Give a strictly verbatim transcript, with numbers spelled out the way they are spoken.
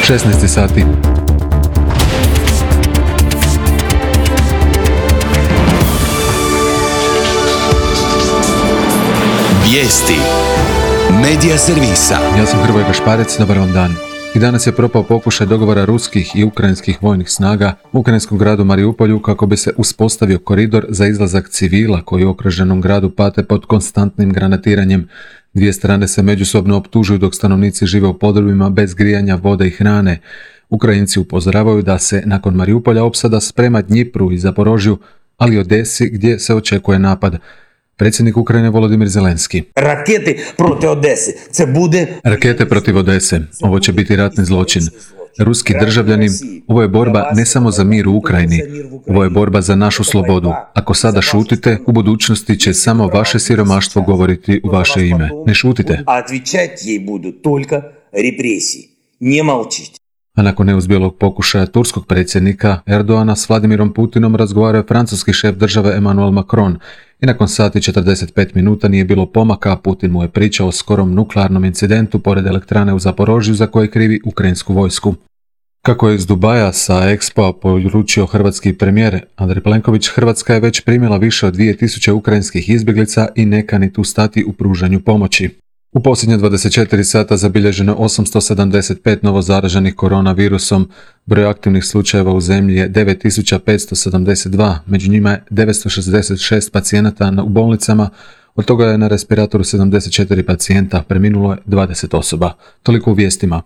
šesnaest sati. Vijesti Medija servisa. Ja sam Hrvoje Gašparec, dobar vam dan. I danas je propao pokušaj dogovora ruskih i ukrajinskih vojnih snaga u ukrajinskom gradu Mariupolju kako bi se uspostavio koridor za izlazak civila koji u okruženom gradu pate pod konstantnim granatiranjem. Dvije strane se međusobno optužuju dok stanovnici žive u podrumima bez grijanja, vode i hrane. Ukrajinci upozoravaju da se nakon Mariupolja opsada sprema Dnjipru i Zaporožju, ali i Odesi gdje se očekuje napad. Predsjednik Ukrajine Volodimir Zelenski. Rakete protiv Odese. Ce bude... Rakete protiv Odese. Ovo će biti ratni zločin. Ruski državljani, ovo je borba ne samo za mir u Ukrajini, ovo je borba za našu slobodu. Ako sada šutite, u budućnosti će samo vaše siromaštvo govoriti u vaše ime. Ne šutite. A отвечать ей будут только репрессии. Не молчите. A nakon neuspjelog pokušaja turskog predsjednika Erdoana s Vladimirom Putinom razgovarao je francuski šef države Emmanuel Macron i nakon sati i četrdeset pet minuta nije bilo pomaka, a Putin mu je pričao o skorom nuklearnom incidentu pored elektrane u Zaporožju za koje krivi ukrajinsku vojsku. Kako je iz Dubaja sa Expo poručio hrvatski premijer Andrej Plenković, Hrvatska je već primila više od dvije tisuće ukrajinskih izbjeglica i ne kani tu stati u pružanju pomoći. U posljednje dvadeset četiri sata zabilježeno osamsto sedamdeset pet novozaraženih koronavirusom, broj aktivnih slučajeva u zemlji je devet tisuća petsto sedamdeset dva, među njima je devetsto šezdeset šest pacijenata u bolnicama, od toga je na respiratoru sedamdeset četiri pacijenta, preminulo je dvadeset osoba. Toliko u vijestima.